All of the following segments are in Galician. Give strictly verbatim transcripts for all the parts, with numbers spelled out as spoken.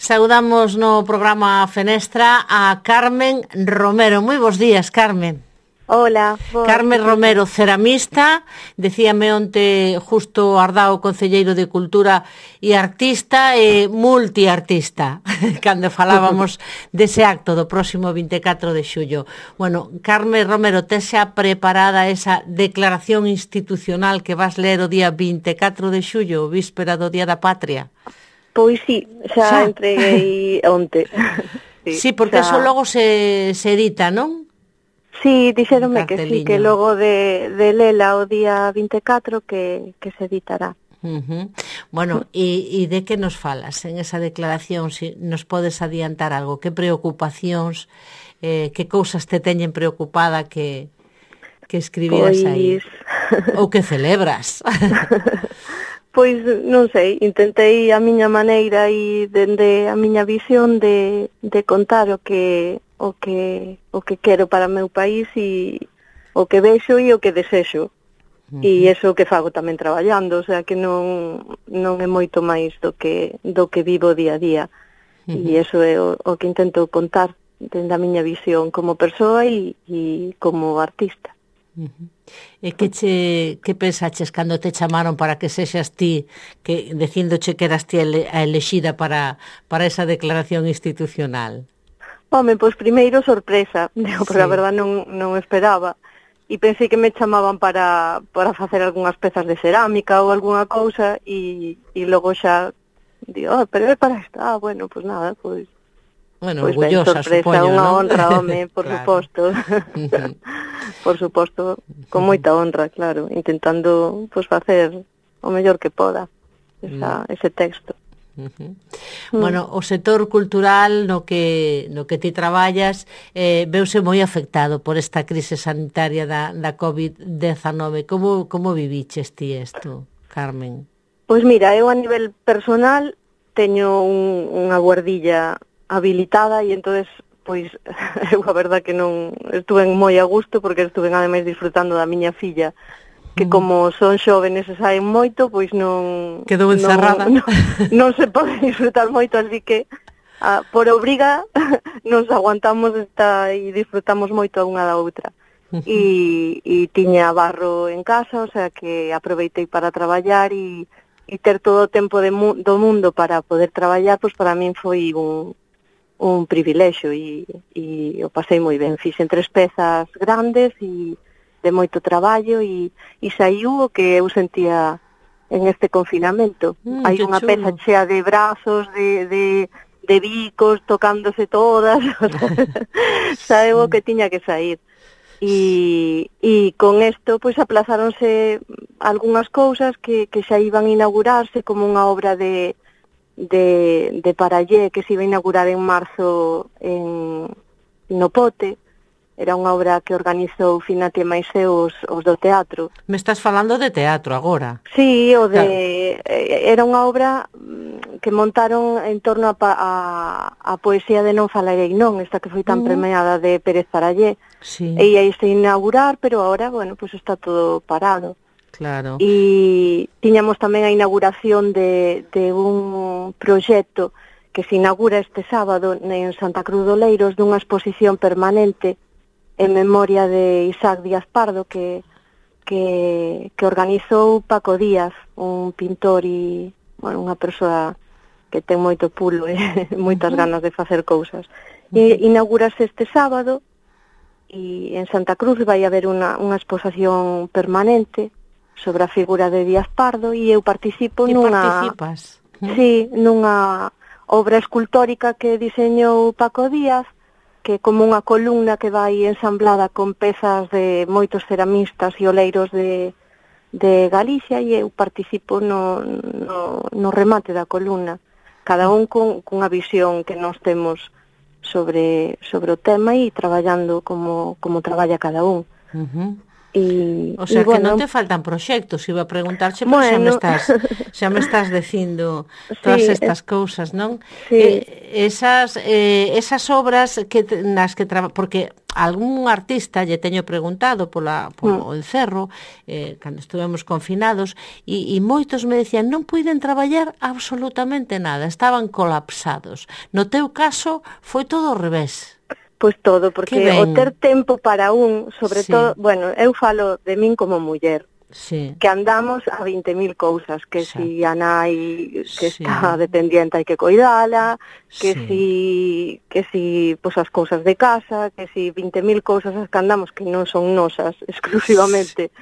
Saudamos no programa Fenestra a Carmen Romero. Moi bons días, Carmen. Hola. Vos, Carmen Romero, ceramista, decíame onte Justo Ardao, concelleiro de Cultura e artista e multiartista, cando falábamos dese acto do próximo vinte e catro de xullo. Bueno, Carmen Romero, tes xa preparada esa declaración institucional que vas ler o día vinte e catro de xullo, víspera do Día da Patria? Pois sí, xa, xa? entreguei onte. Sí, sí, porque xa... eso logo se, se edita, non? Sí, dixéronme que sí, que logo de, de lela o día vinte e catro que, que se editará. Uh-huh. Bueno, e, e de que nos falas en esa declaración? Si nos podes adiantar algo? Que preocupacións, eh, que cousas te teñen preocupada que, que escribiras pois... aí? Ou que celebras? Pois non sei, intentei a miña maneira e dende a miña visión de, de contar o que o que o que quero para o meu país e o que vexo e o que desexo. Uh-huh. E iso que fago tamén traballando, o sea que non non é moito máis do que do que vivo día a día. Uh-huh. E iso é o, o que intento contar dende a miña visión como persoa e, e como artista. Uh-huh. E que che que pensaches cando te chamaron para que sexas ti, que dicíndoche que eras ti a elexida para para esa declaración institucional? Home, pois primeiro sorpresa, digo, porque sí. A verdade non, non esperaba. E pensei que me chamaban para, para facer algunhas pezas de cerámica ou algunha cousa e, e logo xa digo, oh, pero é para isto. Ah, bueno, pois nada, pois... Bueno, pois orgullosa, ben, sorpresa, supoño, unha ¿no? honra, home, por claro. Suposto. Uh-huh. Por suposto, con moita honra, claro, intentando pois facer o mellor que poda esa, uh-huh. ese texto. Uh-huh. Mm. Bueno, o sector cultural no que no que ti traballas eh, veuse moi afectado por esta crise sanitaria da, da covid diecinueve. Como, como viviches ti isto, Carmen? Pois mira, eu a nivel personal teño un, unha guardilla habilitada e entonces pois eu a verdad que non estuve moi a gusto porque estuve ademais disfrutando da miña filla que como son xóvenes e saen moito, pois non... Quedou encerrada. Non, non, non se pode disfrutar moito, así que a, por obriga nos aguantamos esta, e disfrutamos moito a unha da outra. E, e tiña barro en casa, o sea que aproveitei para traballar e, e ter todo o tempo de mu, do mundo para poder traballar, pois para min foi un, un privilexio e, e o pasei moi ben. Fixen tres pezas grandes e de moito traballo e, e saiu o que eu sentía en este confinamento. Mm, hai unha chulo. Peza chea de brazos, de, de, de bicos, tocándose todas, saiu o que tiña que sair. E, e con isto, pois, aplazáronse algunhas cousas que, que xa iban a inaugurarse, como unha obra de, de, de Parallé, que se iba a inaugurar en marzo en, no Pote. Era unha obra que organizou Finate máis eu os, os do teatro. Me estás falando de teatro agora? Sí, o de claro. Era unha obra que montaron en torno a, a, a poesía de Non falarei non, esta que foi tan uh. premiada de Pérez Parallé. Sí. E ia se inaugurar, pero agora, bueno, pues está todo parado. Claro. E tiñamos tamén a inauguración de, de un proxecto que se inaugura este sábado en Santa Cruz de Oleiros dunha exposición permanente en memoria de Isaac Díaz Pardo que, que, que organizou Paco Díaz, un pintor e bueno, unha persoa que ten moito pulo e moitas uh-huh. ganas de facer cousas. Uh-huh. E inaugurase este sábado e en Santa Cruz vai haber unha, unha exposición permanente sobre a figura de Díaz Pardo e eu participo e nunha... participas? Uh-huh. Sí, nunha obra escultórica que diseñou Paco Díaz, que como unha columna que vai ensamblada con pezas de moitos ceramistas e oleiros de, de Galicia e eu participo no, no, no remate da columna, cada un con, cunha visión que nós temos sobre, sobre o tema e traballando como, como traballa cada un. Uh-huh. E, o sea, e, que bueno, non te faltan proxectos, iba a preguntarche, pero bueno, xa me estás xa me estás dicindo todas sí, estas cousas, non? Sí. Eh, esas eh, esas obras que te, nas que traba, porque algún artista lle teño preguntado pola polo mm. encerro, eh, cando estuvemos confinados, e, e moitos me decían non puiden traballar absolutamente nada, estaban colapsados. No teu caso foi todo ao revés. Pois todo, Que porque o ben. ter tempo para un, sobre Sí. todo, bueno, eu falo de min como muller, Sí. que andamos a veinte mil cousas, que Exacto. si a nai que Sí. está dependiente hai que coidala, que Sí. si que si pois as cousas de casa, que si veinte mil cousas as que andamos que non son nosas exclusivamente.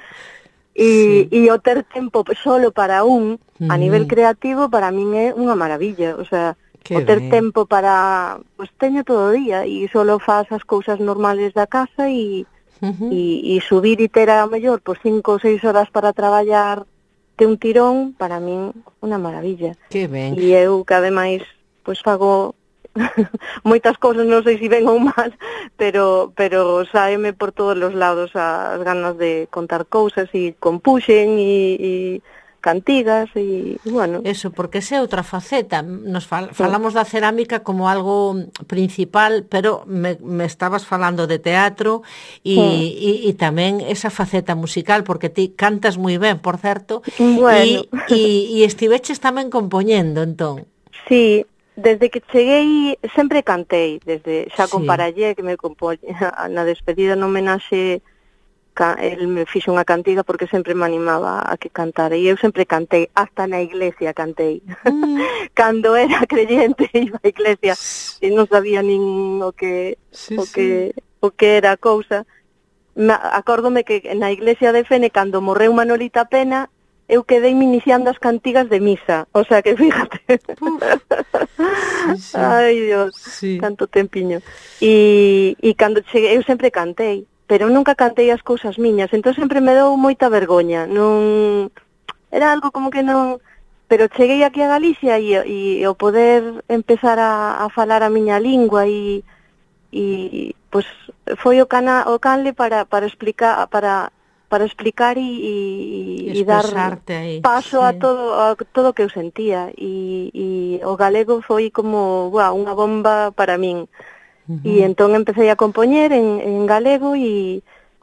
E, Sí. e o ter tempo solo para un, a nivel Mm. creativo, para min é unha maravilla, o sea, Que o ter ben. tempo para, pois teño todo o día e solo faz as cousas normales da casa e Uh-huh. e, e subir e ter a mellor por cinco ou seis horas para traballar de un tirón, para min unha maravilla. Que ben. E eu que ademais pois fago moitas cousas, non sei se ben ou mal, pero pero sáeme por todos os lados as ganas de contar cousas e compuxen e, e cantigas e, bueno. Eso, porque esa é outra faceta. Nos fal, falamos da cerámica como algo principal, pero me, me estabas falando de teatro e, Sí. e, e tamén esa faceta musical, porque ti cantas moi ben, por certo, Bueno. e, e, e estiveches tamén compoñendo, entón. Sí, desde que cheguei sempre cantei, desde xa Sí. con Parallé, que me compoña na despedida no homenaxe, el me fixo unha cantiga porque sempre me animaba a que cantara e eu sempre cantei, hasta na iglesia cantei. Mm. Cando era creyente iba á iglesia e non sabía nin o que Sí, o sí. que o que era a cousa. Me, acórdome que na iglesia de Fene cando morreu Manolita Pena eu quedei me iniciando as cantigas de misa, o sea que fíjate. Sí, sí. Ai, Dios, sí. Tanto tempiño. E, e cando cheguei, eu sempre cantei, pero nunca cantei as cousas miñas, entón sempre me dou moita vergoña, non... Era algo como que non... Pero cheguei aquí a Galicia e, e o poder empezar a, a falar a miña lingua e, e pois foi o, cana, o canle para, para explicar para, para explicar e, e, e dar aí. paso Sí. a todo a todo o que eu sentía e, e o galego foi como buah, unha bomba para min. Uh-huh. E entón empecé a compoñer en, en galego e,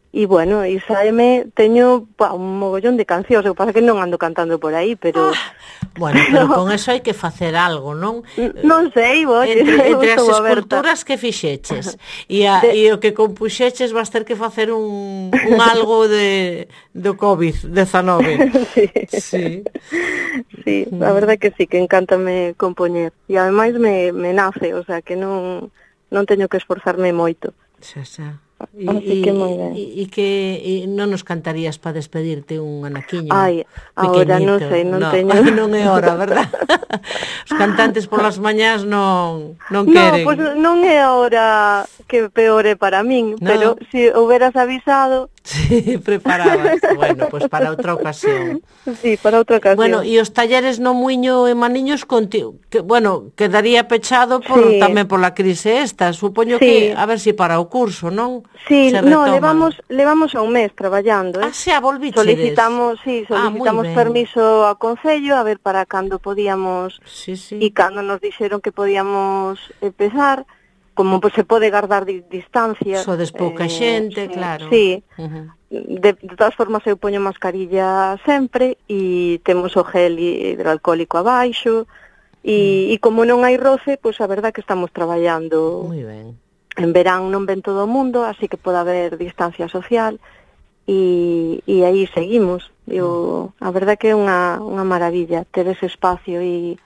e bueno, e saeme, teño pa, un mogollón de cancións, o que pasa que non ando cantando por aí, pero... Ah, bueno, pero con eso hai que facer algo, non? Non sei, oye, entre, entre as aberta. esculturas que fixeches e, a, de... e o que compuxeches vas ter que facer un, un algo de do covid diecinueve. Sí. Sí. Sí, a verdade que sí, que encántame compoñer. E ademais me, me nace, o sea, que non, non teño que esforzarme moito. Xa, xa. E, Así que moi ben. E, e que e non nos cantarías para despedirte un anaquiño? Ai, agora non sei, non no, teño. Non é hora, verdad? Os cantantes polas mañás non non queren. No, pois pues non é a hora que peor é para min, no. Pero se si houberas avisado... Sí, preparabas. Bueno, pois pues para outra ocasión. Sí, para outra ocasión. Bueno, e os talleres no Muiño e Maniños contigo, que, bueno, quedaría pechado por, sí. tamén pola crise esta. Supoño sí. que, a ver si para o curso, non? Sí, no, levamos levamos a un mes traballando, eh? Ah, xa, volvichedes. Solicitamos, sí, solicitamos ah, permiso ao Concello a ver para cando podíamos sí, sí. e cando nos dixeron que podíamos empezar, como pues, se pode guardar di distancia. Sodes pouca eh, xente, sí, claro. Sí, uh-huh. de, de todas formas eu poño mascarilla sempre e temos o gel hidroalcohólico abaixo e, uh-huh. e como non hai roce, pois pues, a verdade que estamos traballando. Moi ben. En verán non ven todo o mundo, así que pode haber distancia social e, e aí seguimos. Eu, a verdade que é unha, unha maravilla ter ese espacio e,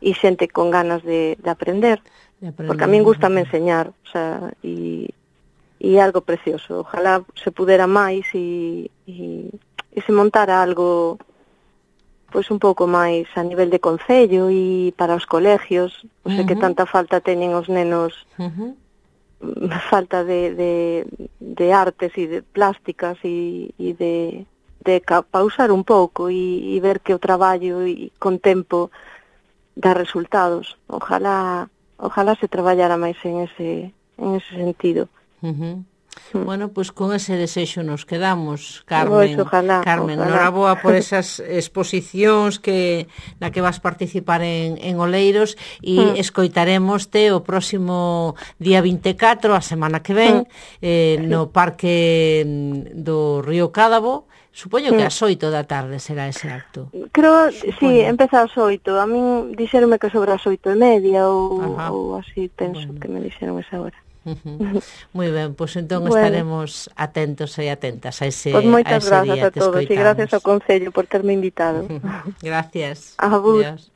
e xente con ganas de, de aprender. Porque a min gustame enseñar, o sea, e, e é algo precioso. Ojalá se pudera máis e, e, e se montara algo pois un pouco máis a nivel de concello e para os colegios, o sea, uh-huh. que tanta falta teñen os nenos, uh-huh. falta de, de, de artes e de plásticas e, e de, de pausar un pouco e, e ver que o traballo e con tempo dá resultados. Ojalá Ojalá se traballara máis en ese en ese sentido. Uh-huh. Bueno, pois pues con ese desexo nos quedamos, Carmen. Pois, ojalá, Carmen, ojalá. noraboa por esas exposicións que na que vas participar en, en Oleiros e mm. escoitaremoste o próximo día vinte e catro, a semana que ven, mm. eh, no Parque do Río Cádabo. Supoño que ás oito da tarde será ese acto. Creo, Supoño. sí, empeza ás oito. A min dixeronme que sobre as oito e media ou, ou así, penso bueno. que me dixeron esa hora. Uh-huh. Moi ben, pois pues entón bueno. estaremos atentos e atentas a ese, pues moitas a ese gracias día. A todos e gracias ao Concello por terme invitado. Gracias. A vos. Adiós.